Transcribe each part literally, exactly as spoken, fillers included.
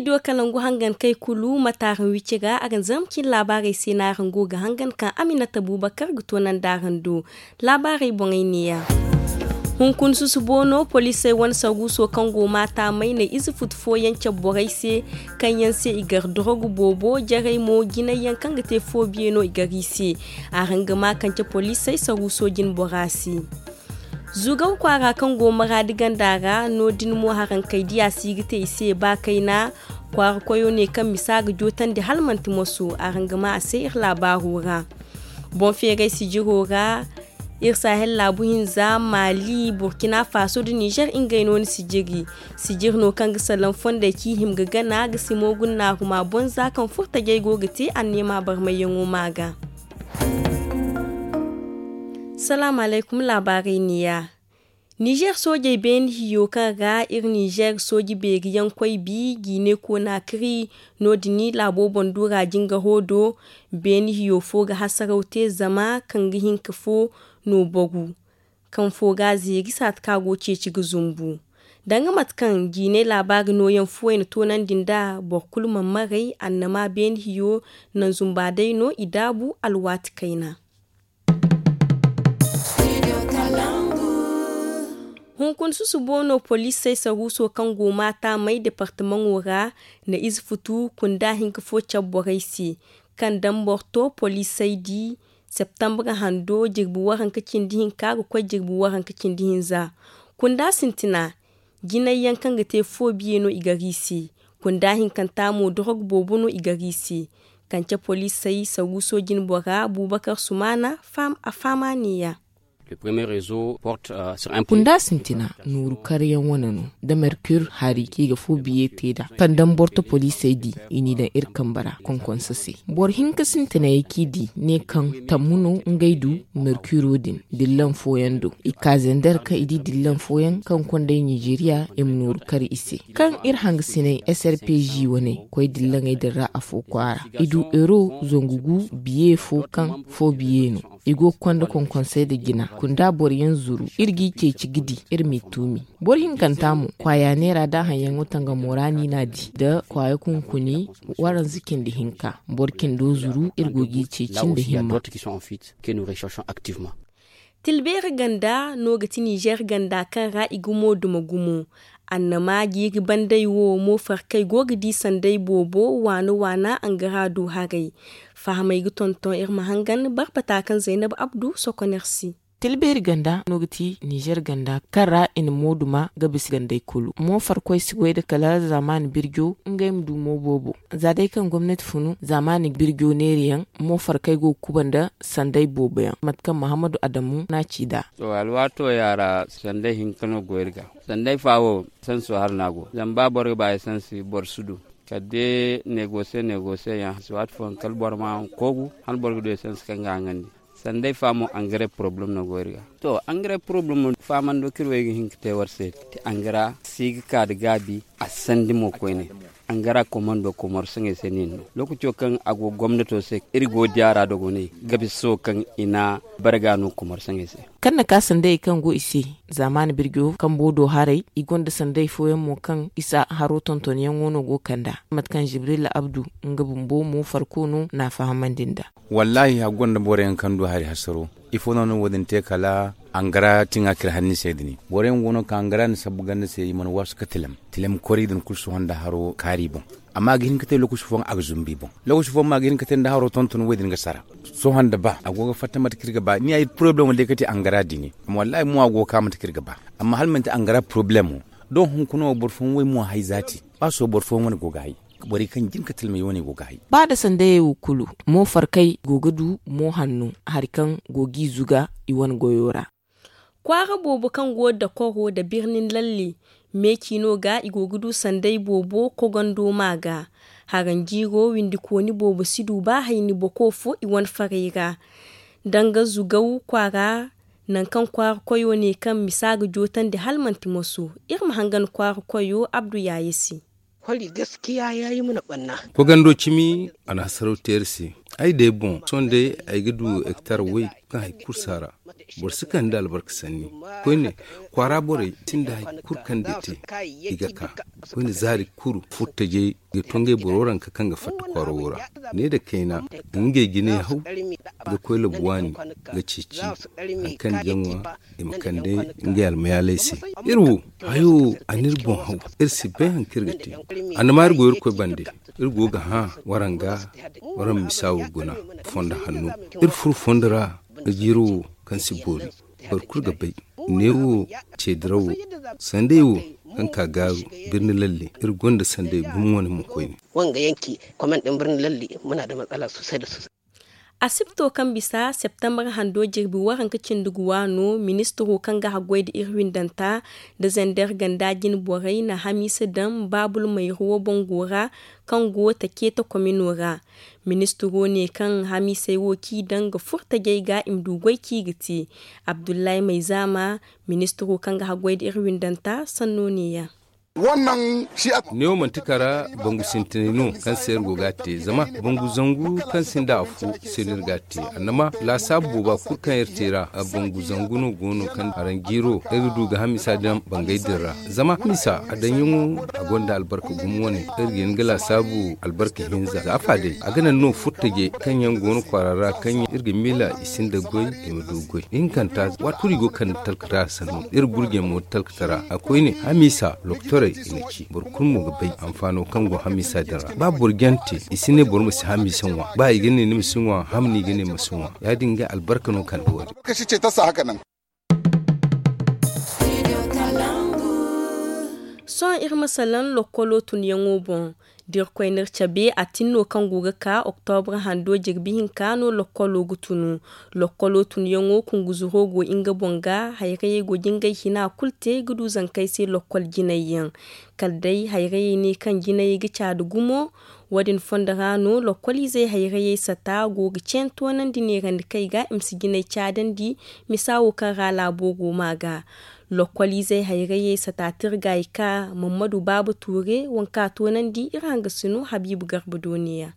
Studio kalangu hangan kay kulu mate araŋ wicce ga a ga ni zarma cine laabaarey se no araŋ go ga hangan kaŋ aminata buubakar ga toonandi araŋ do. Laabaarey boŋey neeya. Hunkuna susubo no poliisey wane saruuso kaŋ go maata may na ize futu fooyaŋ cabe borey se, kaŋ yaŋ se i gar dorogu boobo jarey mo jinay yaŋ kaŋ ga te foobiye no i gar i se. Araŋ ga ma kaŋ ce poliisey saruuso jine bora se. Zugaw kwaara kaŋ go maraadi ganda ra no- din mo haraŋ kay diya si ga te i se ba kayna. Kwaara koyo ne kaŋ misa ga jootandi hala manti moso araŋ ga ma a se iri laabaaro ra. Boŋ feeray sijiro ra iri sahel laabu hinza mali burkina faso nda nizer ngey no ni sijiri. Sijiri no kaŋ ga salaŋ fondey ci hima ga gana ga simo gunnaaruma bonza kaŋ furtajey go ga te anneema barmayyaŋo ma ga. Salaamu alaykum laabaarey neeya. Nizer soojey beene hiyo kaŋ ra iri nizer sooji beeri yaŋ koy bi jiine koona kiri no- din laabo boŋ duura jingaro do. Beene hiyo fo ga hasaraw te zama kaŋ ga hinka fo no bogu kaŋ fo ga zeeri saati kaŋ a go ceeci ga zumbu. Danga mate kaŋ jiinay laabaari nooyaŋ fuwey na toonandi nd'a boro kulu mana maray annama beene hiyo naŋ zumba day no i daabu alwaati kayna. Hunkuna susubo no poliisey saruuso kaŋ go maata may departamaŋo ra na ize futu kunda hinka fo cabe borey se kaŋ daŋ boro to poliisey di septambra hando jirbi waranka cindi hinka ga koy jirbi waranka cindi hinza. Kunda sintina jinay yaŋ kaŋ ga te foobiye no i gar i se. Kunda hinkanta mo dorog boobo no i gar i se. Kance poliisey saruuso jine bora buubakar sumaana a faama neeya. Kunda sintina nooru karyaŋ wane no da merkur hari kaŋ i ga fo biye te nd'a kaŋ daŋ borto poliisey di i n'i daŋ iri kambe ra konkonso se. Boro hinka sintinayey kaŋ i di ne kaŋ tammu no ngey du merkuro din dillan fooyaŋ do i ka zender kaŋ i di dillan fooyaŋ kaŋ konday nijeriya i ma nooru kar i se. Kaŋ iri hangasiney srpg wane koy dillaŋey din ra afo kwaara i du euro zangu gu biye fo kaŋ fo biye no. I go ga konda konkonsey nda jina kunda boro yaŋ zuru iri g'i ceeci ga di iri m'i tuumi. Boro hinkanta mo kwaaya neera da haŋ yaŋo tangamo ra no i n'a di nda kwaaya kunkuni waranza cindi hinka. Boro cindo zuru iri go g'i ceeci nda himma. Tilbeeri ganda no ga ti nizer ganda kaŋ ra i gumo duma gumo. Annama jiiri banday wo mo farkay go ga di sanday boobo waana waana angara do haray. Fahamey ga tonton iri ma hangan barbata kaŋ zaynab abdu sokoner se. Tilbeeri ganda no ga ti nizer ganda kaŋ ra i na mooduma ga bisa gandey kulu mo farkoy si goy nda kala zaamaani birjo ngey ma du mo boobo. Za day kaŋ gomnati funu zaamaani birjo neeri yaŋ mo farkay go ga kuba nda sanday boobo yaŋ mate kaŋ mahammadu adamu n'a ci nd'a. To alwaato yaara sanday hinka no go iri ga. Sanday fa wo sanso hala no a go zama ba boro ga ba esansi boro si du. Kala day negose negose yaŋ si waati fooyaŋ kala boro ma koogu hala boro ga du esansi kaŋ ga haŋandi. Sanday fa mo angare poroblem no go iri ga. To angare poroblem mo faamando kaŋ iri wo ay ga hin ga te war se ti angara si ga ka nda gaabi a sandi mo koyne. Angara komando komor saŋey se no iri no lookaco kaŋ a go gomnato se iri go diya ra dogoney gabiso kaŋ i na barga no komor saŋey se. Kaŋ na ka sanday kaŋ go i se zaamaani birjo kambo do haray i gonda sanday fooyaŋ mo kaŋ isa haro tontonyaŋo no go kanda mate kaŋ jibrila abdu nga bumbo mo farko no n'a fahamandi nd'a. Wallaahi hari gonda boro yaŋ kaŋ du hari hasaro ifo no no wo- din te kala angara tiŋa kira hanni se din boro yaŋ go no kaŋ angara na sabbu ganda se i mana waasu ka tilem tilem kori din kulu sohõ nda haro kaari boŋ. Amma a ga hin ka te lookaci fooyaŋ a ga zumbu i boŋ. Lookaci fooyaŋ mo a ga hin ka te nda haro tonton wo- din ga sara. Sohõ nda ba a go ga fatta mate kaŋ iri ga ba ni ay poroblemo day ka te angara din. Amma wallaahi mo a go ga ka mate kaŋ iri ga ba. Amma hala manti angara poroblemo. Doŋ hunkuna wo boro fooyaŋ wo ay mo hay zaati ba sohõ boro fooyaŋ wane go ga hay. Borey kaŋ jin ka tilmey wane go ga hay. Ba nda sandayey wo kulu mo farkay go ga du mo hanno hari kaŋ go g'i zuga i wane goyo ra. Kwaara boobo kaŋ go dakoro nda birnin lalle meeci no ga i go ga du sanday boobo kogando ma ga. Haranjiiro windikooni boobo si du ba hayni boko fo i wane farey ra. Danga zugaw kwaara nangu kaŋ kwaara koyo ne kaŋ misa ga jootandi hala manti moso. Iri ma hangan kwaara koyo abdu yaaye se. Kogando cimi a na hasaraw te iri se. Ay day boŋ sohõ day ay ga du hektar way kaŋ hari kulu si a ra. Boro si kande albarka sanni koyne, kwaara borey sinda hari kulu kaŋ day te. I ga ka koyne zaari kulu furtajey ga to ngey boro ranka kaŋ ga fatta kwaaro wo ra. Ne nda kayna ngey ga ne haw ga koy labu waani ga ceeci hari kaŋ jaŋo ra i ma kande ngey almayaaley se. Iri wo hayo a n'iri boŋ haw. Iri si bay hari kaŋ iri ga te. Annama iri go irkoy bande. Iri go ga hã waranga waranma misa wo guna fondo hanno. Iri furo fondo ra ga jiiro wo kaŋ si boori. Boro kulu ga bay neewo ceedirawo sanday wo kaŋ ka gaaru birni lalle. Iri gonda sanday gumo wane mo koyne. Wanga yanki kwamen din birni lalle muna da matsala sosai da sosai. Asibto kaŋ bisa septembar hando jirbi waranka cindi ga waano ministiro kaŋ ga haggoy da iri windanta da zander ganda jine borey na hamiisa daŋ baabul mayruwo bango ra kaŋ go takeeta komino ra. Ministiro ne kaŋ hamiisey wo k'i daŋ ga furtajey ga i ma du goy k'i ga te. Abdullahi mayzama, ministiro kaŋ ga haggoy da iri windanta sanno neeya. Neewo manti kara bangu sintinay no kaŋ se iri go ga a te zama bangu zangu kaŋ sinda afo se no iri ga a te. Annama laasaabu booba kulu kaŋ iri te ra bangu zangu no go no kaŋ aranjiiro iri ga du ga hamisa daŋ bangay din ra. Zama hamisa a daŋyaŋo a gonda albarka gumo wane. Iri ga hin ga laasaabu albarka hinza za afa day a ga naŋ no furtaje kaŋ yaŋ go no kwaara ra kaŋ iri ga miila i sinda goy i ma du goy ihinkanta. Waati kulu i go kande talkata sanno iri gurjey mo talkata ra a koyne hamiisa lokotorey i na ci boro kulu mo ga bay hanfaano kaŋ go hamiisa din ra ba boro jante i si ne boro ma si hamiisa ŋwa ba i ga ne ni ma si ŋwa hamni i ga ne ma si ŋwa. Ya- din ga albarka no kande wo- din. Sohõ iri ma salaŋ lokkolo tunyaŋo boŋ. Da irkoy n'iri cabe a tin no kaŋ go ga ka oktobra hando jirbi hinka no lokkolo ga tunu. Lokkolo tunyaŋo kunguzuro go nga boŋ ga hayrayey go ga ngey hina kulu te ga du zankey se lokkol jinay yaŋ. Kala day hayrayey ne kaŋ jinayey ga caadi gumo. Wo- din fondo ra no lokkol izey hayrayey sata go ga ceeni toonandi neerandikey ga i ma si jinay caadandi. Misa wo kaŋ ra laabo go ma ga lokkol izey hayrayey sata tirgay ka mammadu baaba tuure waŋ ka toonandi iri hangasino habiibu garba dooniya.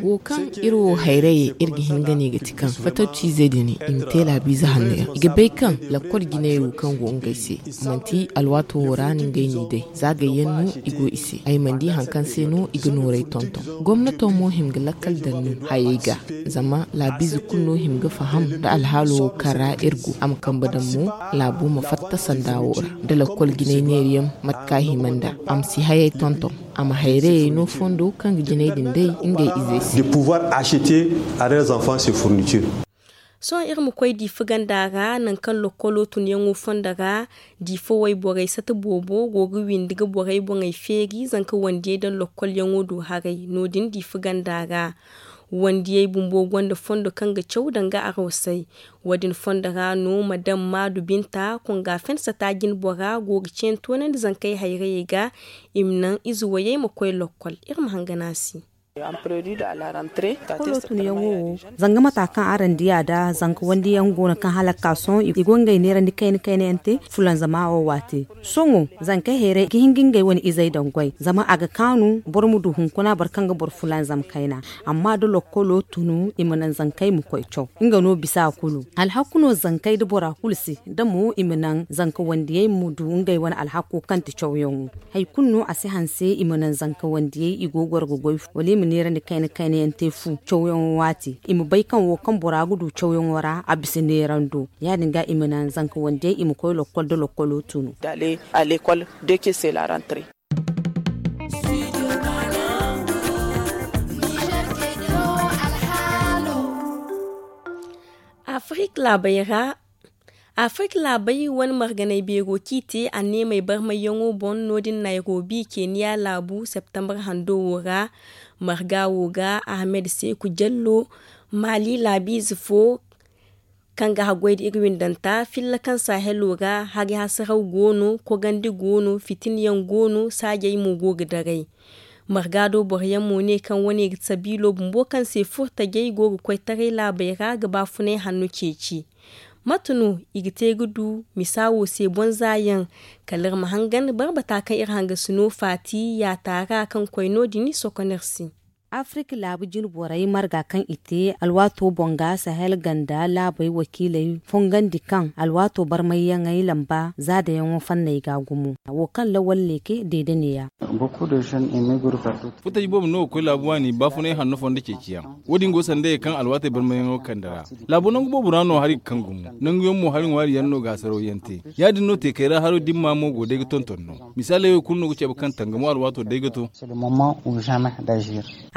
Wo kaŋ iri wo hayrayey iri ga hin ga ne ga ti kaŋ fattaw ciizey din i ma te laabiize hanno yaŋ i ga bay kaŋ lakkol jinay wo kaŋ go ngey se manti alwaato wo ra no ngey n'i day za gayyaŋ no i go i se ay mana di hari kaŋ se no i ga nooray tonton. Gomnato mo hima ga lakkal daŋ no hayey ga zama laabiize kulu no hima ga faham nda alhaalo wo kaŋ ra iri go a ma kambe daŋ mo laabo ma fatta sanda wo ra nda lakkol jinay neerayaŋ mate kaŋ a hima nd'a a ma si hayey tonton. A ma hayrayey no fondo kaŋ ga jinay din day ngey izey se. Sohõ iri ma koy diifa ganda ra nangu kaŋ lokkolo tunyaŋo fondo ra. Diifa wayborey sata boobo go ga windi ga borey boŋey feeri zanka wandiyey daŋ lokkolyaŋo do haray no- din diifa ganda ra. Wandiyey bumbo gonda fondo kaŋ ga caw danga arwasay. Wo- din fondo ra no madam maadu binta konga fen sata jinbora go ga ceeni toonandi zankey hayrayey ga i ma naŋ ize wayey ma koy lokkol. Iri ma hangan a se. Lokkolo tunyaŋo wo zanga mata kaŋ araŋ di a da zanka wandiyaŋ go no kaŋ hala ga ka sohõ i go ngey neerandi kayna kayna yaŋ te fulanzama wo waate. Sohõ zankey hayray ga hin ga ngey wane izey daŋ goy zama a ga kaanu boro ma du hunkuna boro kaŋ ga boro fulanzam kayna. Amma da lokkolo tunu i ma naŋ zankey ma koy caw nga no bisa kulu alhaku no zankey da bora kulu se da mo i ma naŋ zanka wandiyey ma du ngey wane alhako kaŋ ti cawyaŋo. Hari kulu no a si hanse i ma naŋ zanka wandiyey i go ga goro ga goy wala i ma neerandi kayna kayna yaŋ te fu cawyaŋo waati i ma bay kaŋ wo kaŋ bora ga du cawyaŋo ra a bisa neerando. Ya- din ga i ma naŋ zanka wandiyey i ma koy lokkol da lokkolo tunu. Afirik laabey ra. Afirik laabey wane marganay beero kaŋ i te anneemey barmayyaŋo boŋ no- din nayrobi keniya laabu septembar hando wo ra. Marga wo ga ahmed seeku jallo maali laabiize fo kaŋ ga haggoy nda iri windanta filla kaŋ sahelo ra hari hasaraw go no kogandi go no fitina yaŋ go no saajey mo go ga daray. Marga do boro yaŋ mo ne kaŋ wane ga sabiilo bumbo kaŋ se furtajey go ga koy taray laabey ra ga baafunay hanno ceeci. Mate no i ga te ga du misa wo se boŋ za yaŋ? Kala iri ma hangan barbata kaŋ iri hangasino faati yaata ra kaŋ koy no- din sokon iri se. Afirik laabu jine borey marga kaŋ i te alwaato boŋ ga sahel ganda laabey wakiiley fongandi kaŋ alwaato barmayyaŋey lamba zaadayaŋo fanney ga gumo. Wo kaŋ lawal ne ke deede neeya. Furtaji boobo no ga koy laabu waani baafunay hanno fondo ceeciyaŋ. Wo- din go sanda ye kaŋ alwaatey barmayyaŋo kande ra. Laabo nangu boobo ra no hari ga kaŋ gumo nanguyaŋ mo hari ŋwaari yaŋ no ga hasaraw yaŋ te. Ya- din no teekey ra haro dimma mo go day ga tonton no. Misaaley wo kulu no ga cabe kaŋ tangamo alwaato day ga to.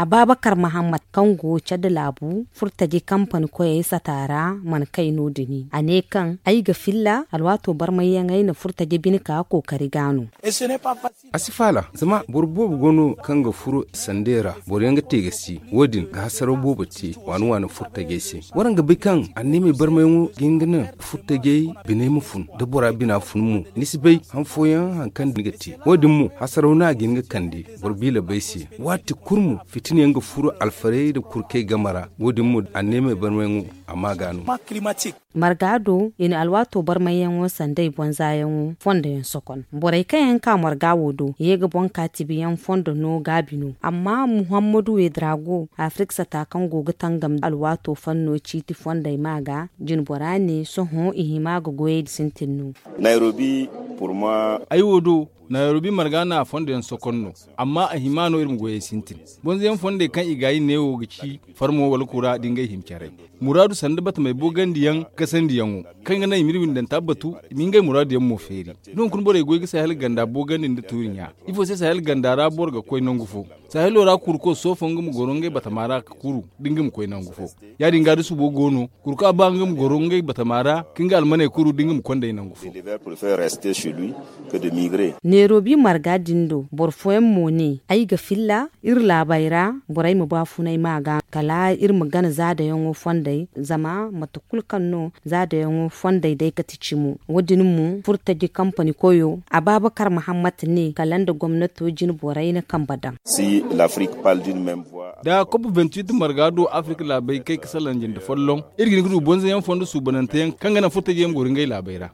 Abaabakar mahammad kaŋ go cad laabu furtaji kampani koyey sata ra mana kay no- din a ne kaŋ ay ga filla alwaato barmayyaŋey na furtaji bine ka kookari ga no. A si faala zama boro boobo go no kaŋ ga furo sandey ra boro yaŋ ga te ga si wo- din ga hasaraw boobo te waani waani furtajey se. Waraŋ ga bay kaŋ anneemey barmayaŋo ga hin ga naŋ furtajey biney ma fun da bora bina fun mo. Ni si bay han fooyaŋ hari kaŋ ni ga te wo- din mo hasaraw no a ga hin ga kande boro biila bay se. Waati kulu mo fitina yaŋ ga furo alfarey nda kurkey game ra wo- din mo anneemey barmayaŋo a ma ga no. Marga do i na alwaato barmayyaŋo sanday bonzaayaŋo fondo yaŋ sokon borey kaŋ yaŋ ka marga wo do ye ga boŋ ka tibiyaŋ fondo no gaabi no amma muhammadu wedrago afirik sata kaŋ go ga tangam alwaato fanno ciiti fondey ma ga jinbora ne sohõ i hima ga goyey sintin no. Ay wo do nayrobi marga no a fondo yaŋ sokon no amma a hima no iri ma goyey sintin. Bonzoyaŋ fondey kaŋ i gaayi neewo ga ci farmo wala kura da ngey hima caray muraadu sanda batamey boogandi yaŋ kasandi yaŋo kaŋ ga naŋ i ma iri windanta batu i ma ngey muraadu yaŋ mo feeri. Doŋ kuna borey goy ga sahel ganda boogandi nda tuuri ɲa. Ifo se sahel ganda ra boro ga koy nangu fo? Sahelo ra kuruko soofo nga ma goro ngey batama ra ga kuru da nga ma koy nangu fo. Ya- din ga da subo go no kurka ba nga ma goro ngey batama ra ka nga almaney kuru da nga ma kondey nangu fo. Neerobi marga din do boro fooyaŋ mo ne ay ga filla iri laabey ra borey ma baafunay ma ga kala iri ma gana zaadayaŋo fondey zama mate kulu kaŋ no zaadayaŋo fondey day kate cimo. Wo- din mo furtaji kampani koyo abaabakar mahammad ne kala nda gomnato jine borey na kambe daŋ. Da kop vingt-huit marga do afirik laabey kay ga salaŋ jinde folloŋ iri ga hin ga du bonzoyaŋ fondo suubanante yaŋ kaŋ ga naŋ furtaji yaŋ ma goro ngey laabey ra.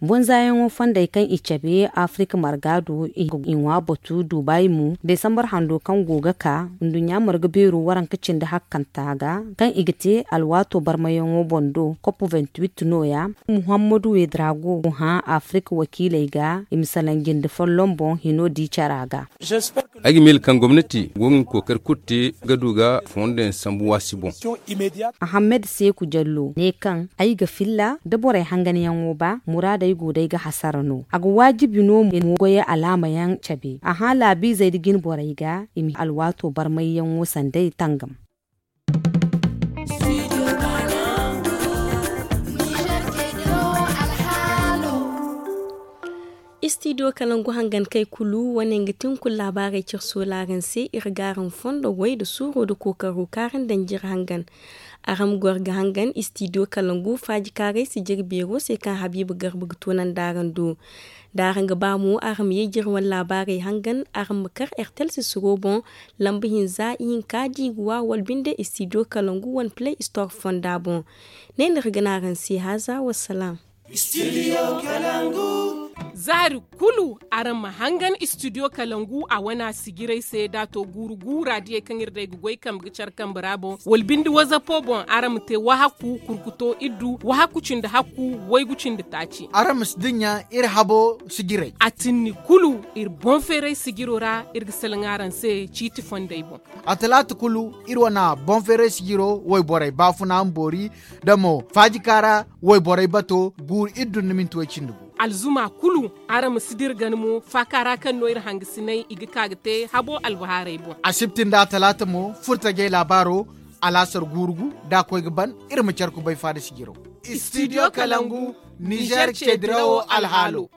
Bonzaayaŋo fondey kaŋ i cabe afirik marga do i ŋwa batu duubaay mo desambar hando kaŋ go ga ka nduɲɲa marga beero waranka cindi hakkanta ga kaŋ i ga te alwaato barmayaŋo boŋ do kop vingt-huit nooya. Muhammadu wedrago go hã afirik wakiiley ga i ma salaŋ jinde folloŋ boŋ hino di cara ga. Ay ga miila kaŋ gomnati go ga nga kookari kulu te ga du ga fondo yaŋ sambu waasi boŋ. Ahammed seeku jallo ne kaŋ ay ga filla da borey hanganyaŋo ba muraadey go day ga hasara no a ga waajibi no mo goyey alaama yaŋ cabe a hã laabiizey nda jine borey ga i ma alwaato barmayyaŋo sanday tangam. Istidiyo kalangu hangan kay kulu wane nga tinkul laabaarey cire soolaaraŋ se iri ga araŋ fondo way nda suuro nda kookaro kaŋ araŋ daŋ jire hangan. Araŋ ma goro ga hangan istidiyo kalangu faajikaaray sijiri beero se kaŋ habiiba garba ga toonandi araŋ do. Da araŋ ga ba mo araŋ ma ye jire wane laabaarey hangan araŋ ma kar ertel sisiro boŋ lamba hinza ihinka da i ga wa wala binde istidiyo kalangu wane pilay istor fonda boŋ. Ne no iri ga ne araŋ se haaza wassalaam. Zaari kulu araŋ ma hangan istidiyo kalangu a wana sijiray se da a to guuru guura diyey kaŋ iri day ga goy kambe ga care kambe ra boŋ wala binde wazapo boŋ araŋ ma te wahakku kurkuto iddu wahakku cindi hakku waygu cindi taaci. Araŋ ma si dinya iri habo sijiray a tinni kulu iri boŋ feeray sijiro ra iri ga salaŋ araŋ se ciiti fondey boŋ. A talaata kulu iri wana boŋ feeray sijiro wayborey baafuna ma boori da mo faajikaara wayborey bato guuru iddu nda minti way cindi gu. Alzuma kulu araŋ ma si dira gana mo faaka ra kaŋ no iri hangasinay i ga ka ga te habo albahaarey boŋ. Asibti nda atalaata mo furtajey laabaaro alaasar guuru gu da a koy ga ban iri ma care kubay faada sijiro. Istidiyo kalangu nizer cedirawo alhaalo.